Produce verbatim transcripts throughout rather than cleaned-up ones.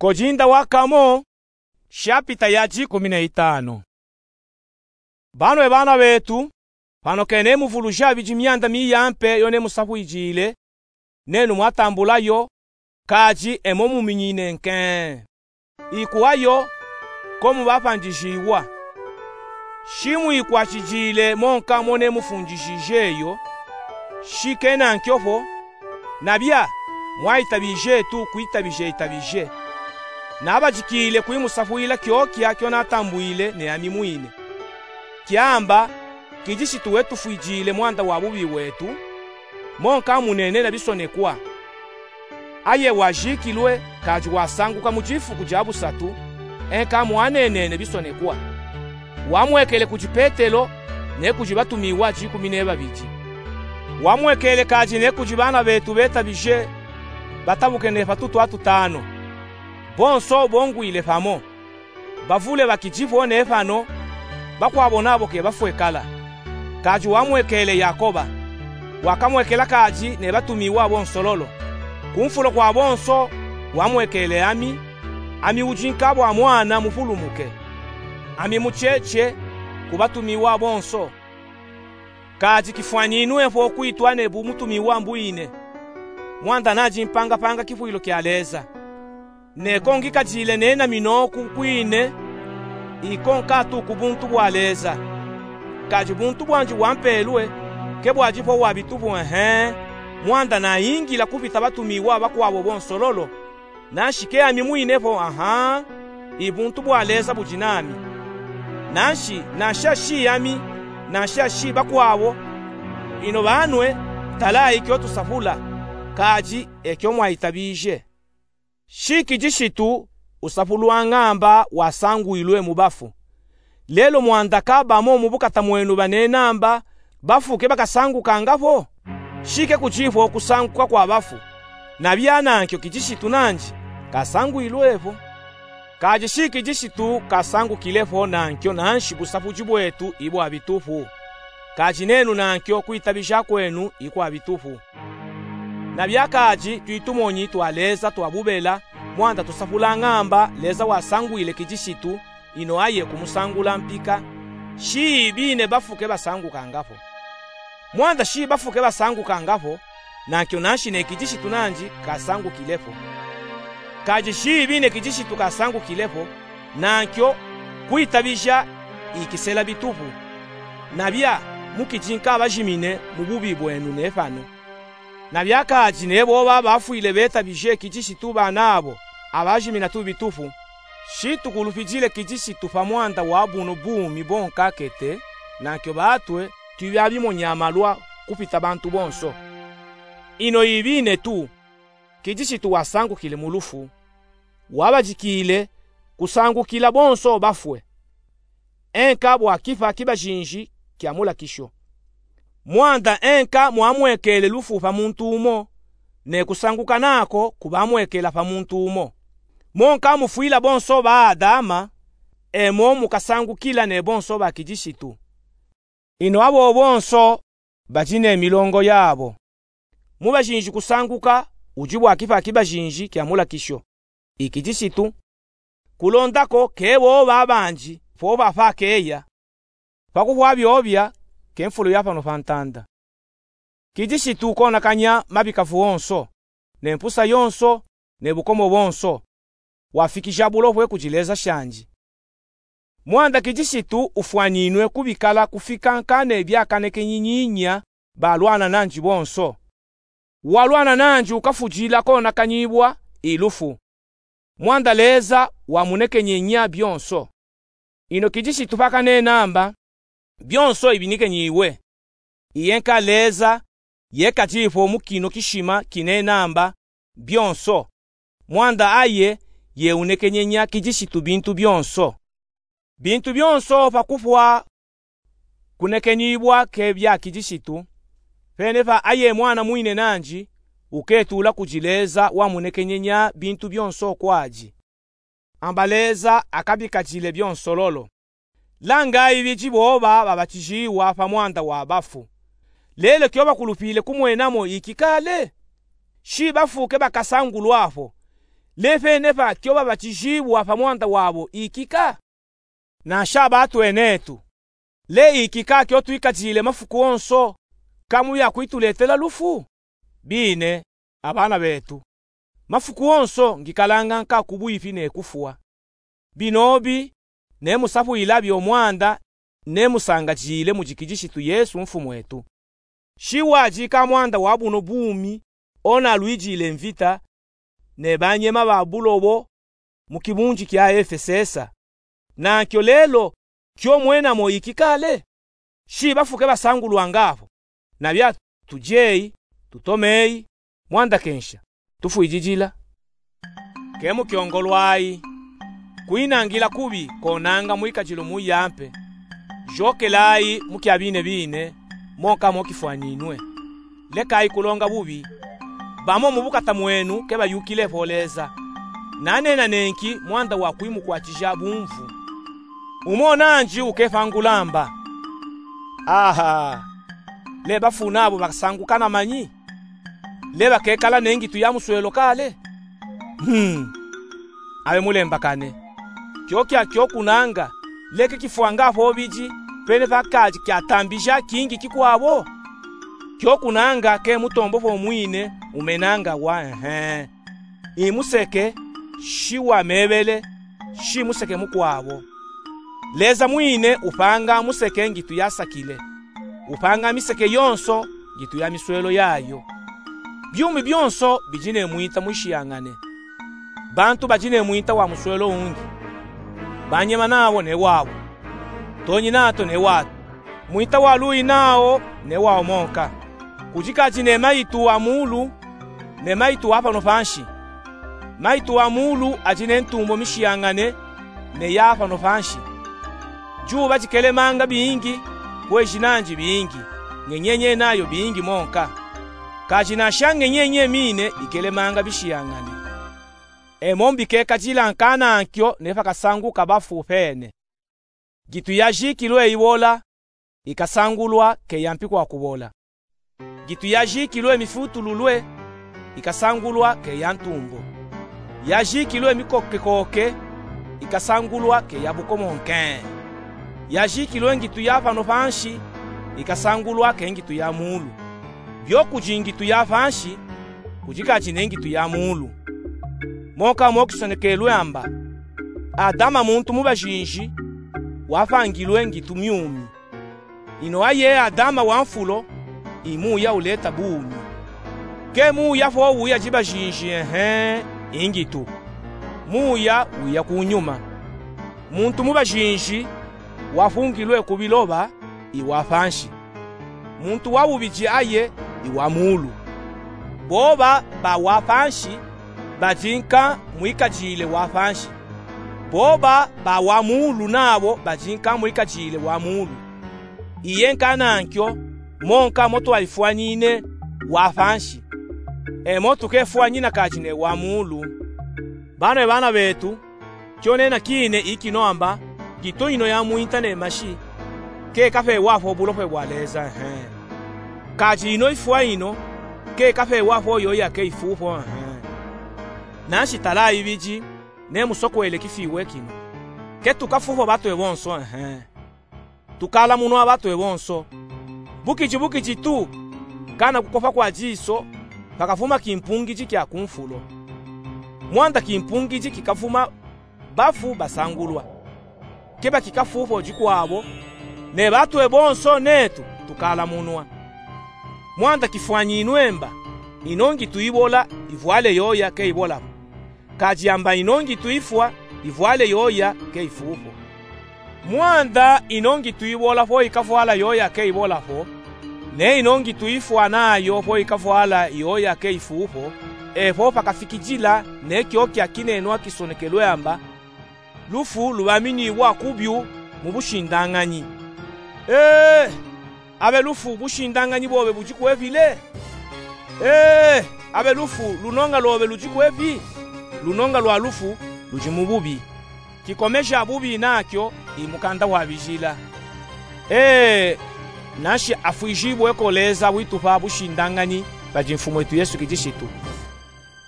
Kodinda wa kamo, shapita ya dikumi na itanu. Bano e bana betu, pano ke nemuvuluji abidi mianda miyampe yo nemusafwidile, nenu mwatambula yo, kadi e mo muminyine nke. Ikuwa yo, ko mubapandijiwa. Shi mwikwatidile monka mo nemufundishije yo, shi ke nankyo fo, nabia, mwayitabije tu kuyitabija yitabije. Nabadikile kuyimusafwila kyokya kyo natambwile ne ami mwine. Kyamba, kidisitu wetufwidile mwanda wa bubi bwetu, monka munene na bisonekwa. Aye wajikilwe, kadi wasanguka mu difuku dia busatu, enka mwanenene bisonekwa. Wamwekele kudi Petelo, ne kudi batumiwa dikumi ne babidi. Wamwekele kadi ne kudi bana betu betabije, batabuke ne patutu atutanu. Bonso bongwile pamo. Bavule bakidi fo ne pano, bakwabo nabo ke bafwe kala. Kadi wamwekele Yakoba. Wakamwekela kadi ne batumiwa bonsololo. Kumfulo kwa bonso, wamwekele ami, ami udi nkabo a mwana mupulumuke. Ami mucheche ku batumiwa bonso. Kadi kifwaninwe fo kwitwa ne bumutumiwa mbwine. Mwanda nadi mpangapanga kifwilo kya Leza. Ne ko ngikadile nena minoku kwine, iko nkatu ku buntu bwa Leza. Kadi buntu bwandi wampelwe, ke bwadi fo wa bitufu ehe, mwanda nayingila kupita batumiwa bakwabo bonsololo, nanshi ke ami mwine fo aha, i buntu bwa Leza budi nami. Nanshi, nanshi ashi ami, nanshi ashi bakwabo, ino banwe, talayi kyo tusafula, kadi ekyo mwayitabije. Shi kidisitu usafulwa ngamba wasangwilwe mu bafu. Lelo mwanda ka bamo mu bukata mwenu banena mba bafu ke bakasangukanga fo? Shi ke kudi fo kusanguka kwa bafu, nabia nankyo kidisitu nandi kasangwilwe fo. Kadi shi kidisitu kasangukile fo nankyo nanshi busafudi bwetu i bwa bitufu. Kadi nenu nankyo kwitabija kwenu i kwa bitufu. Nabia kadi twi tumonyi twa Leza twa bubela, mwanda tusafula ngamba Leza wasangwile kidisitu, ino aye kumusangula mpika, shi ibine bafu ke basangukanga fo. Mwanda shi bafu ke basangukanga fo, nankyo nanshi ne kidisitu nandi kasangukile fo. Kadi shi ibine kidisitu kasangukile fo, nankyo kwitabija ikisela bitufu. Nabia, mukidi nkabajimine mu bubi bwenu ne pano. Nabia kadi ne boba bafwile betabije kidisitu banabo, abajimina tu bitufu. Shi tukulupidile kidisitu pa mwanda wa buno bumi bwonkakete, nankyo batwe twi babimonya malwa kupita bantu bonso. Ino ibine tu, kidisitu wasangukile mu lufu, wabadikile kusangukila bonso bafwe. Enka bwa kipa kibajinji kya mulakisho. Mwanda enka mwamwekele lufu pa muntu umo, ne kusanguka nako kubamwekela pa muntu umo. Mo nkamufwila bonso ba Adama, e mo mukasangukila ne bonso ba kidisitu. Ino abo bonso badi ne milongo yabo. Mu bajinji kusanguka udi bwa kipa kibajinji kya mulakisho, i kidisitu. Kulonda ko ke boba bandi fo bafa keya, pa kufwa byobya ke mfulo ya pano pa ntanda. Kidisitu ukonakanya mabikafu onso, ne mpusa yonso, ne bukomo bonso. Wafikija bulopwe kudi Leza shandi. Mwanda kidisitu ufwaninwe kubikala kufika nka ne byakanekenyi nyinya balwana nandi bonso. Walwana nandi ukafudila konakanyibwa i lufu. Mwanda Leza wamunekenyenya byonso. Ino kidisitu pakanena mba, byonso ibinikenyiwe. Iye nka Leza, yekadi fo mu kino kishima kinena mba, byonso. Mwanda aye yeunekenyenya kidisitu bintu byonso. Bintu byonso pa kufwa kunekenyibwa ke bya kidisitu, pene pa aye mwana mwine nandi uketula kudi Leza wamunekenyenya bintu byonso kwadi. Amba Leza akabikadile byonsololo. Langa ibidi boba babatijiwa pa mwanda wa bafu. Lelo kyo bakulupile kumwenamo iki kale? Shi bafu ke bakasangulwa fo. Le fene pa kyo babatijibwa pa mwanda wabo ikika? Na sha batwene tu, le ikika kyo twikajile mafuku onso, ka mu bya kwituletela lufu? Bine, abana betu, mafuku onso ngikalanga nka ku bwifi ne kufwa. Binobi, ne musafwila byo mwanda ne musangajile mu jikijishitu Yesu Mfumwetu. Shi wajika mwanda wa buno bumi, ona lwijile mvita, ne banyema ba bulobo mu kibunji kya Efesesa. Na kyo lelo, kyo mwena mo ikikale? Shi bafu ke basangulwanga apo? Na bya tujeyi, tutomeyi, mwanda kensha, tufwijijila. Ke mukyongolwayi. Kwinangila kubi konanga mwikajilo muyampe. Jokelayi mu kya bine bine, monka mo kifwanyinwe. Lekayi kulonga bubi. Bamo mu bukata mwenu ke bayukile po Leza. Na nena nenki mwanda wa kwimukwatija bumvu. Umo nanji ukefangula amba: Aha! Le bafu nabo bakasanguka na manyi? Le bakekala ne ngitu ya muswelo kale? Hmm. Abe mulembakane. Kyo kya kyo kunanga, le ke kifwanga po biji, pene pa kaji kyatambija kingi kikwabo? Kyo kunanga ke mutombo po mwine umenanga wa, ehe. I museke, shi wa mebele, shi museke mukwabo. Leza mwine upanga museke ngitu yasakile. Upanga miseke yonso ngitu ya miswelo yayo. Byumi byonso biji ne mwinta mwishiyangane. Bantu baji ne mwinta wa muswelo ungi. Banyema nabo ne wabo. Tonyi nato ne wato. Mwinta wa luyi nawo ne wawo monka. Kuji kaji ne mayitu wa muulu, ne mayitu wa pano panshi. Mayitu wa muulu aji ne ntumbo mishiyangane ne ya pano panshi. Juba jikelemanga bingi, kwezi nanji bingi, ngenyenye nayo bingi monka. Kaji na sha ngenyenye mine ikelemanga bishiyangane. Emo mbikekajila nka na nkyo ne pakasanguka bafu pene. Ngitu yajikilwe ibola, ikasangulwa ke ya mpi kwa kubola. Ngitu yajikilwe mifutululwe, ikasangulwa ke ya ntumbo. Yajikilwe mikokekoke, ikasangulwa ke ya bukomo nke. Yajikilwe ngitu ya pano panshi, ikasangulwa ke ngitu ya muulu. Byo kuji ngitu ya panshi, kuji kaji ne ngitu ya muulu. Monka mo kisonekelwe amba: Adama muntu mu bajinji, wapangilwe ngitu myumi. Ino aye Adama wa mfulo, i muya uleta bumi. Ke muya po uya ji bajinji, ehe, i ngitu. Muya uya kunyuma. Muntu mu bajinji, wapungilwe ku biloba, i wa panshi. Muntu wa bubiji aye, i wa muulu. Boba ba wa panshi, baji nka mwikajile wa panshi. Boba ba wa muulu nabo baji nka mwikajile wa muulu. Iye nka na nkyo, monka mo twaifwanyine wa panshi. Emo tukefwanyina kaji ne wa muulu. Bano e bana betu, kyo nena kine ikino amba, ngitu ino ya mwinta ne mashi, ke kapewa po bulopwe bwa Leza, ehe. Kaji ino ifwa ino, ke kapewa po yoya ke ifupo, ehe. Nanshi talayi biji, ne musokwele kifiwe kino. Ke tukafupo batwe bonso, ehe. Tukalamunwa batwe bonso. Bukiji bukiji tu, kana kukopa kwa jiso, pakafuma kimpungiji kya ku mfulo. Mwanda kimpungiji kikafuma, bafu basangulwa. Ke bakikafupo jikwabo, ne batwe bonso netu tukalamunwa. Mwanda kifwanyinwe mba, ino ngitu ibola, ivwale yoya ke ibola po. Kaji amba ino ngitu ifwa, ivwale yoya ke ifupo. Mwanda ino ngitu ibola po ikafwala yoya ke ibola po, ne ino ngitu ifwa nayo po ikafwala yoya ke ifupo, e po pakafikijila ne kyo kya kinenwa kisonekelwe amba: Lufu lubaminibwa ku byu mu bushindanganyi. Ee, abe lufu, bushindanganyi bobe buji kwepi le? Ee, abe lufu, lunonga lwobe luji kwepi? Lunonga lwa lufu luji mu bubi. Kikomeja bubi nakyo i mukanda wa bijila. Ee, nanshi afwijibwe ko Leza witupa bushindanganyi pa ji Mfumwetu Yesu Kilishitu.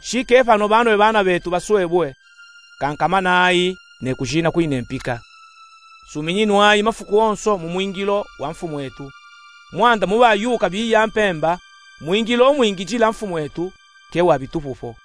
Shikefano bano e bana betu baswebue, kankamanayi ne kujina kwine mpika. Suminyinwayi mafuku onso mu mwingilo wa Mfumwetu. Mwanda mubayuka biya mpemba, mwingilo umwingijila Mfumwetu ke wa bitupupo.